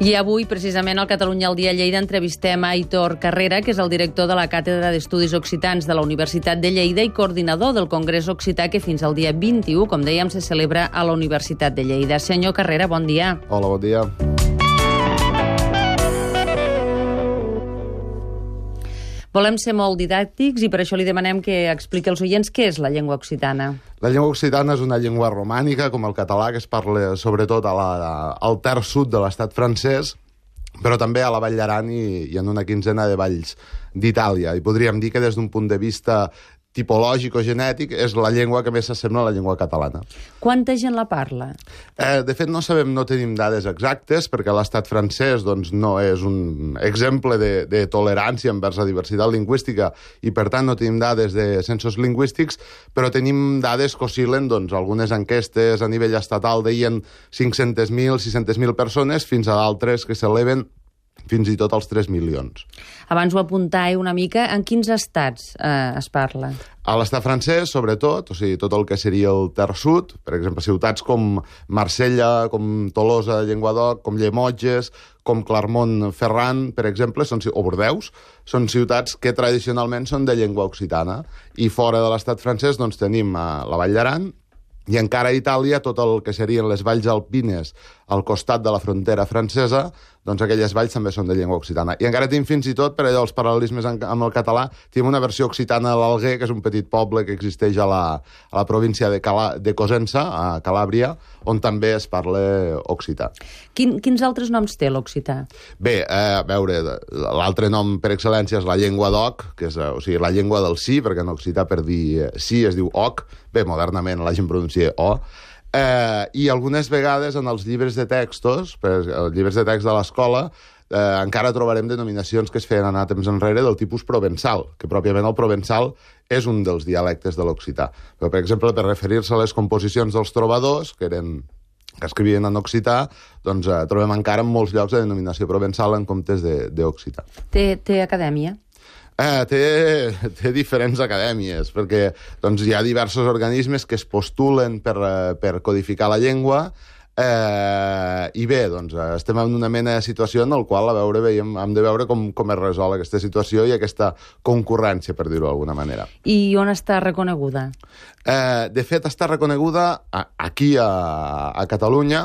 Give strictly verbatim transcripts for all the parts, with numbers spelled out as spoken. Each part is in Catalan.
I avui, precisament, al Catalunya al dia Lleida entrevistem a Aitor Carrera, que és el director de la Càtedra d'Estudis Occitans de la Universitat de Lleida i coordinador del Congrés Occità, que fins al dia vint-i-u, com dèiem, se celebra a la Universitat de Lleida. Senyor Carrera, bon dia. Hola, bon dia. Volem ser molt didàctics i per això li demanem que expliqui als oients què és la llengua occitana. La llengua occitana és una llengua romànica, com el català, que es parla sobretot a la, al terç sud de l'estat francès, però també a la Vall d'Aran i, i en una quinzena de valls d'Itàlia. I podríem dir que des d'un punt de vista tipològic o genètic és la llengua que més s'assembla a la llengua catalana. Quanta gent la parla? Eh, de fet, no sabem, no tenim dades exactes, perquè l'estat francès doncs, no és un exemple de, de tolerància envers la diversitat lingüística i, per tant, no tenim dades de censos lingüístics, però tenim dades que oscil·len, doncs, algunes enquestes a nivell estatal deien cinc-centes mil, sis-centes mil persones, fins a d'altres que s'eleven fins i tot als tres milions. Abans ho apuntàveu una mica. En quins estats eh, es parla? A l'estat francès, sobretot, o sigui, tot el que seria el terç sud, per exemple, ciutats com Marsella, com Tolosa, Llenguadoc, com Llemotges, com Clermont-Ferrand, per exemple, són, o Bordeus, són ciutats que tradicionalment són de llengua occitana. I fora de l'estat francès doncs, tenim eh, la Vall d'Aran, i encara a Itàlia, tot el que serien les valls alpines al costat de la frontera francesa, doncs aquelles valls també són de llengua occitana. I encara tenim fins i tot, per allò, els paral·lelismes amb el català, tenim una versió occitana de l'Alguer, que és un petit poble que existeix a la, a la província de, Cala, de Cosenza, a Calàbria, on també es parla occità. Quin, quins altres noms té l'occità? Bé, eh, a veure, l'altre nom per excel·lència és la llengua d'oc, que és o sigui, la llengua del sí, perquè en occità per dir sí es diu oc, bé, modernament la gent pronuncia o, eh, i algunes vegades en els llibres de textos, per, els llibres de text de l'escola, eh, encara trobarem denominacions que es feien anar temps enrere del tipus provençal, que pròpiament el provençal és un dels dialectes de l'occità. Però, per exemple, per referir-se a les composicions dels trobadors, que eren que escrivien en occità, doncs eh, trobem encara en molts llocs de denominació provençal en comptes d'occità. Té, té acadèmia? Eh, té, té diferents acadèmies, perquè doncs, hi ha diversos organismes que es postulen per, per codificar la llengua, eh, i bé, doncs, estem en una mena de situació en la qual a veure, veiem, hem de veure com, com es resol aquesta situació i aquesta concurrència, per dir-ho d'alguna manera. I on està reconeguda? Eh, de fet, està reconeguda a, aquí a, a Catalunya,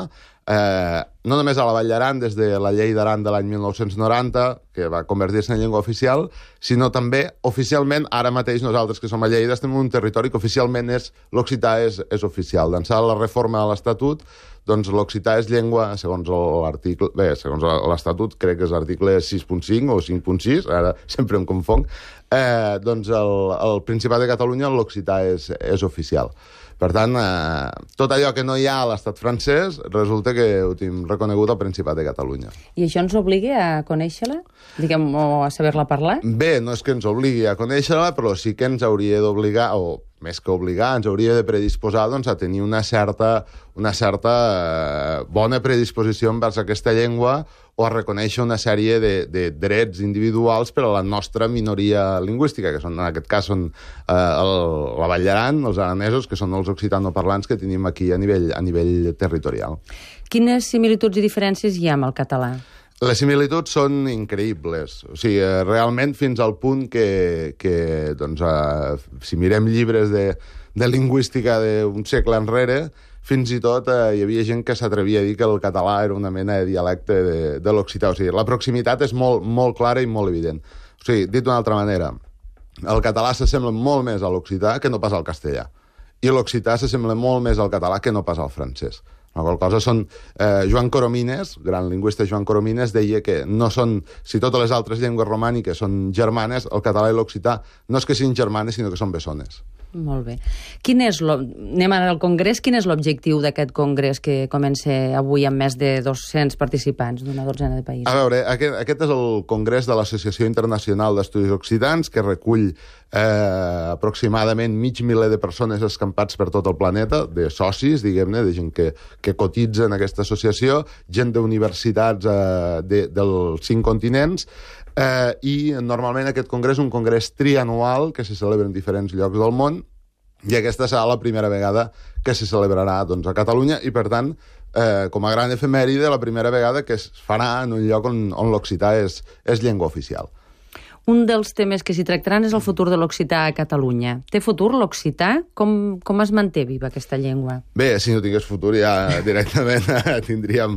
Eh, no només a la Vall d'Aran, des de la llei d'Aran de l'any mil nou-cents noranta, que va convertir-se en llengua oficial, sinó també oficialment, ara mateix nosaltres que som a Lleida estem en un territori que oficialment és l'occità és, és oficial. D'ençà la reforma de l'Estatut, doncs l'occità és llengua, segons l'article... Bé, segons l'Estatut, crec que és l'article sis punt cinc o cinc punt sis, ara sempre em confonc, eh, doncs el, el Principat de Catalunya l'occità és, és oficial. Per tant, eh, tot allò que no hi ha a l'estat francès resulta que ho tenim reconegut al Principat de Catalunya. I això ens obliga a conèixer-la? Diguem, o a saber-la parlar? Bé, no és que ens obligui a conèixer-la, però sí que ens hauria d'obligar, o més que obligar, ens hauria de predisposar doncs, a tenir una certa, una certa eh, bona predisposició envers aquesta llengua o a reconèixer una sèrie de, de drets individuals per a la nostra minoria lingüística, que són, en aquest cas són eh, el, la Vall d'Aran, els aranesos, que són els occitanoparlants que tenim aquí a nivell, a nivell territorial. Quines similituds i diferències hi ha amb el català? Les similituds són increïbles. O sigui, realment fins al punt que, que doncs, eh, si mirem llibres de, de lingüística d'un segle enrere, fins i tot eh, hi havia gent que s'atrevia a dir que el català era una mena de dialecte de, de l'occità. O sigui, la proximitat és molt, molt clara i molt evident. O sigui, dit d'una altra manera, el català s'assembla molt més a l'occità que no pas al castellà. I l'occità s'assembla molt més al català que no pas al francès. La qual cosa són... Eh, Joan Coromines, gran lingüista Joan Coromines, deia que no són... Si totes les altres llengües romàniques són germanes, el català i l'occità no és que siguin germanes, sinó que són bessones. Molt bé. Quin és lo... Anem ara al congrés. Quin és l'objectiu d'aquest congrés que comença avui amb més de dos-cents participants d'una dotzena de països? A veure, aquest, aquest és el congrés de l'Associació Internacional d'Estudis Occitans, que recull eh, aproximadament mig miler de persones escampats per tot el planeta, de socis, diguem-ne, de gent que, que cotitza en aquesta associació, gent d'universitats eh, de, dels cinc continents, eh, i normalment aquest congrés és un congrés trianual que se celebra en diferents llocs del món I aquesta serà la primera vegada que se celebrarà doncs, a Catalunya i, per tant, eh, com a gran efemèride, la primera vegada que es farà en un lloc on, on l'occità és, és llengua oficial. Un dels temes que s'hi tractaran és el futur de l'occità a Catalunya. Té futur l'occità? Com, com es manté viva aquesta llengua? Bé, si no tingués futur ja directament tindríem,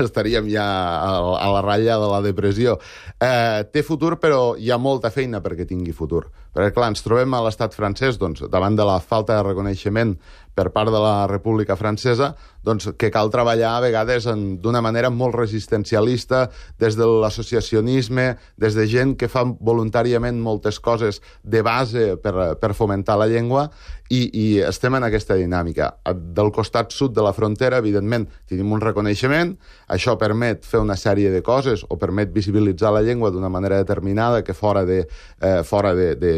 estaríem ja a, a la ratlla de la depressió. Eh, té futur, però hi ha molta feina perquè tingui futur. Perquè, clar, ens trobem a l'estat francès, doncs, davant de la falta de reconeixement per part de la República Francesa, doncs, que cal treballar a vegades d'una manera molt resistencialista, des de l'associacionisme, des de gent que fa voluntàriament moltes coses de base per, per fomentar la llengua, i, i estem en aquesta dinàmica. Del costat sud de la frontera, evidentment, tenim un reconeixement, això permet fer una sèrie de coses, o permet visibilitzar la llengua d'una manera determinada que fora, de, eh, fora de, de,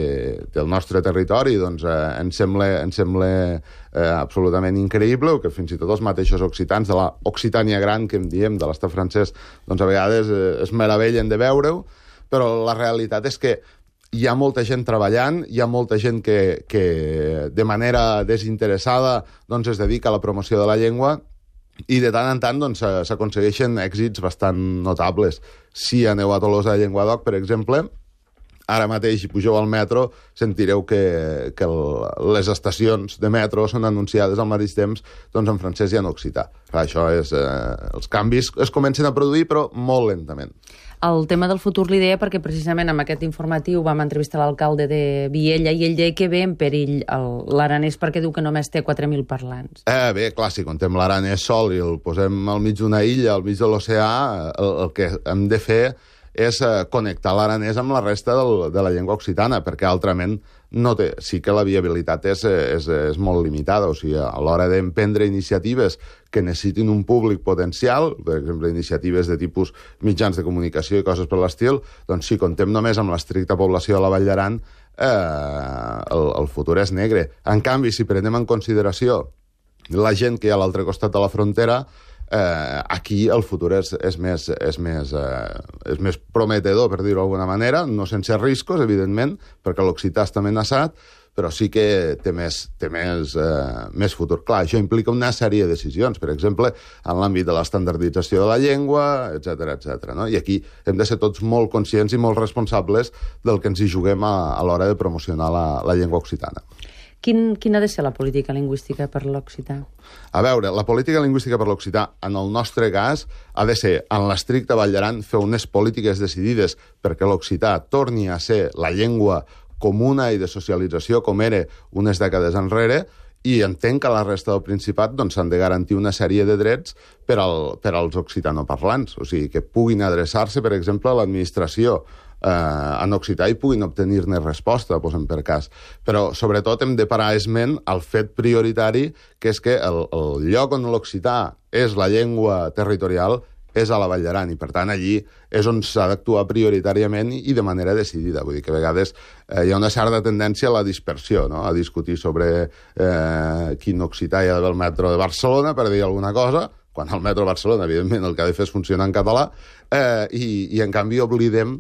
del nostre territori, doncs eh, ens sembla, ens sembla eh, absolutament increïble, que fins i tot els mateixos occitans de la Occitània gran, que en diem, de l'estat francès, doncs a vegades eh, es meravellen de veure-ho, però la realitat és que hi ha molta gent treballant, hi ha molta gent que, que de manera desinteressada doncs, es dedica a la promoció de la llengua, i de tant en tant doncs, s'aconsegueixen èxits bastant notables. Si aneu a Tolosa de Llenguadoc, per exemple, ara mateix, si pugeu al metro, sentireu que, que el, les estacions de metro són anunciades al mateix temps doncs, en francès i en occità. Clar, això és... Eh, els canvis es comencen a produir, però molt lentament. El tema del futur l'idea perquè precisament amb aquest informatiu vam entrevistar l'alcalde de Viella i ell deia que ve en perill l'aranès perquè diu que només té quatre mil parlants. Eh, bé, clar, si contem l'aranès sol i el posem al mig d'una illa, al mig de l'oceà, el, el que hem de fer és eh, connectar l'aranès amb la resta del, de la llengua occitana, perquè altrament no té, sí que la viabilitat és, és, és molt limitada. O sigui, a l'hora d'emprendre iniciatives que necessitin un públic potencial, per exemple, iniciatives de tipus mitjans de comunicació i coses per l'estil, doncs si contem només amb l'estricta població de la Vall d'Aran, eh, el, el futur és negre. En canvi, si prenem en consideració la gent que hi ha a l'altre costat de la frontera, Eh, aquí el futur és, és, més, és, més, eh, és més prometedor, per dir-ho d'alguna manera, no sense riscos, evidentment, perquè l'occità està amenaçat, però sí que té més, té més, eh, més futur. Clar, això implica una sèrie de decisions, per exemple, en l'àmbit de l'estandardització de la llengua, etcètera, etcètera. No? I aquí hem de ser tots molt conscients i molt responsables del que ens hi juguem a, a l'hora de promocionar la, la llengua occitana. Quin, quina ha de ser la política lingüística per l'occità? A veure, la política lingüística per l'occità, en el nostre cas, ha de ser, en l'estricte Vall d'Aran, fer unes polítiques decidides perquè l'occità torni a ser la llengua comuna i de socialització com era unes dècades enrere, i entenc que a la resta del Principat doncs, s'han de garantir una sèrie de drets per, al, per als occitanoparlants, o sigui, que puguin adreçar-se, per exemple, a l'administració eh, en occità i puguin obtenir-ne resposta, posem per cas. Però, sobretot, hem de parar esment al fet prioritari, que és que el, el lloc on l'occità és la llengua territorial és a la Vall d'Aran, i per tant allí és on s'ha d'actuar prioritàriament i de manera decidida. Vull dir que a vegades eh, hi ha una certa tendència a la dispersió, no? A discutir sobre eh, quin occità hi ha d'haver al metro de Barcelona, per dir alguna cosa, quan al metro de Barcelona, evidentment, el que ha de fer és funcionar en català, eh, i, i en canvi oblidem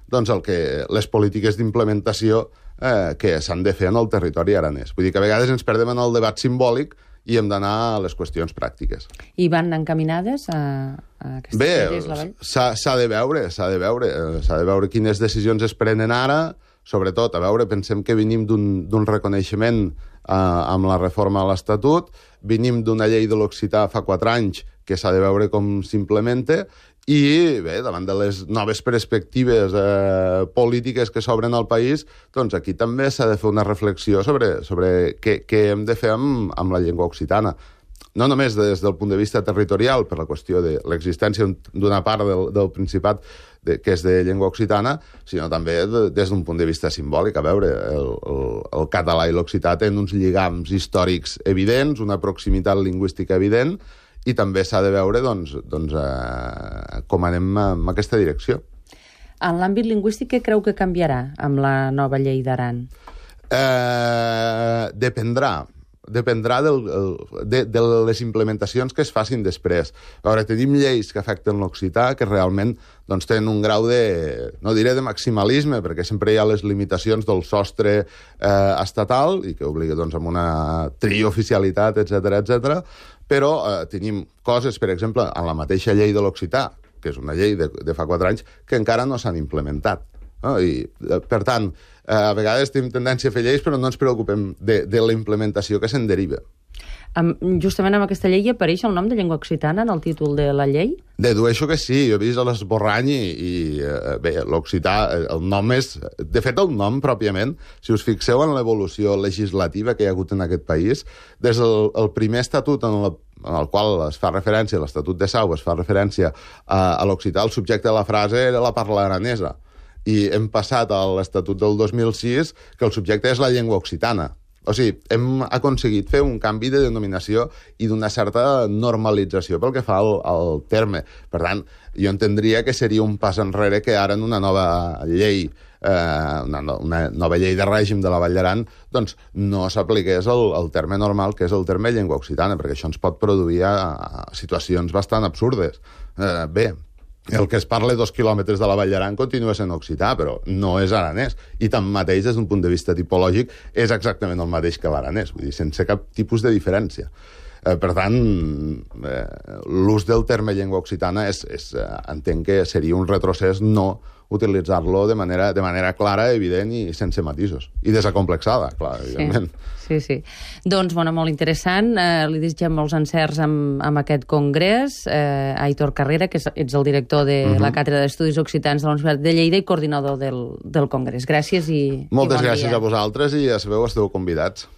doncs, el que, les polítiques d'implementació eh, que s'han de fer en el territori aranès. Vull dir que a vegades ens perdem en el debat simbòlic i hem d'anar a les qüestions pràctiques. I van encaminades a, a aquestes Bé, idees, la Vall? s'ha de veure, s'ha de veure, s'ha de veure quines decisions es prenen ara, sobretot, a veure, pensem que venim d'un reconeixement eh, amb la reforma de l'Estatut, venim d'una llei de l'occità fa quatre anys que s'ha de veure com s'implementa, i bé, davant de les noves perspectives eh, polítiques que s'obren al país, doncs aquí també s'ha de fer una reflexió sobre, sobre què, què hem de fer amb, amb la llengua occitana. No només des del punt de vista territorial, per la qüestió de l'existència d'una part del, del Principat de, que és de llengua occitana, sinó també de, des d'un punt de vista simbòlic. A veure, el, el, el català i l'occità tenen uns lligams històrics evidents, una proximitat lingüística evident, i també s'ha de veure doncs, doncs, eh, com anem en aquesta direcció. En l'àmbit lingüístic, què creu que canviarà amb la nova llei d'Aran? Eh, dependrà. dependrà del, de, de les implementacions que es facin després. A veure, tenim lleis que afecten l'occità que realment doncs, tenen un grau de, no diré de maximalisme, perquè sempre hi ha les limitacions del sostre eh, estatal i que obliga doncs, amb una trioficialitat, etcètera, etcètera. Però eh, tenim coses, per exemple, en la mateixa llei de l'occità, que és una llei de, de fa quatre anys, que encara no s'han implementat. No? I, per tant, eh, a vegades tenim tendència a fer lleis, però no ens preocupem de, de la implementació que se'n deriva. Um, justament amb aquesta llei apareix el nom de llengua occitana en el títol de la llei? Dedueixo que sí, jo he vist l'esborrany i, i eh, bé, l'occità, el nom és... De fet, el nom, pròpiament, si us fixeu en l'evolució legislativa que hi ha hagut en aquest país, des del el primer estatut en, la, en el qual es fa referència, l'Estatut de Sau, es fa referència a, a l'occità, el subjecte de la frase era la parla aranesa. I hem passat a l'Estatut del dos mil sis que el subjecte és la llengua occitana. O sigui, hem aconseguit fer un canvi de denominació i d'una certa normalització pel que fa al, al terme. Per tant, jo entendria que seria un pas enrere que ara en una nova llei, eh, una, una nova llei de règim de la Vall d'Aran, doncs no s'apliqués el, el terme normal, que és el terme llengua occitana, perquè això ens pot produir a, a situacions bastant absurdes. Eh, bé, el que es parla dos quilòmetres de la Vall d'Aran continua sent occità, però no és aranès. I tanmateix, des d'un punt de vista tipològic, és exactament el mateix que l'aranès, vull dir, sense cap tipus de diferència. Eh, per tant, eh, l'ús del terme llengua occitana és, és, eh, entenc que seria un retrocés no utilitzar-lo de manera, de manera clara, evident i sense matisos. I desacomplexada, clar, evidentment. Sí, sí. Doncs, bueno, molt interessant. Eh, li desitgem molts encerts amb, amb aquest congrés. Eh, Aitor Carrera, que és, ets el director de uh-huh. la Càtedra d'Estudis Occitans de la Universitat de Lleida i coordinador del, del congrés. Gràcies i, Moltes i bon gràcies dia. a vosaltres i ja sabeu, esteu convidats.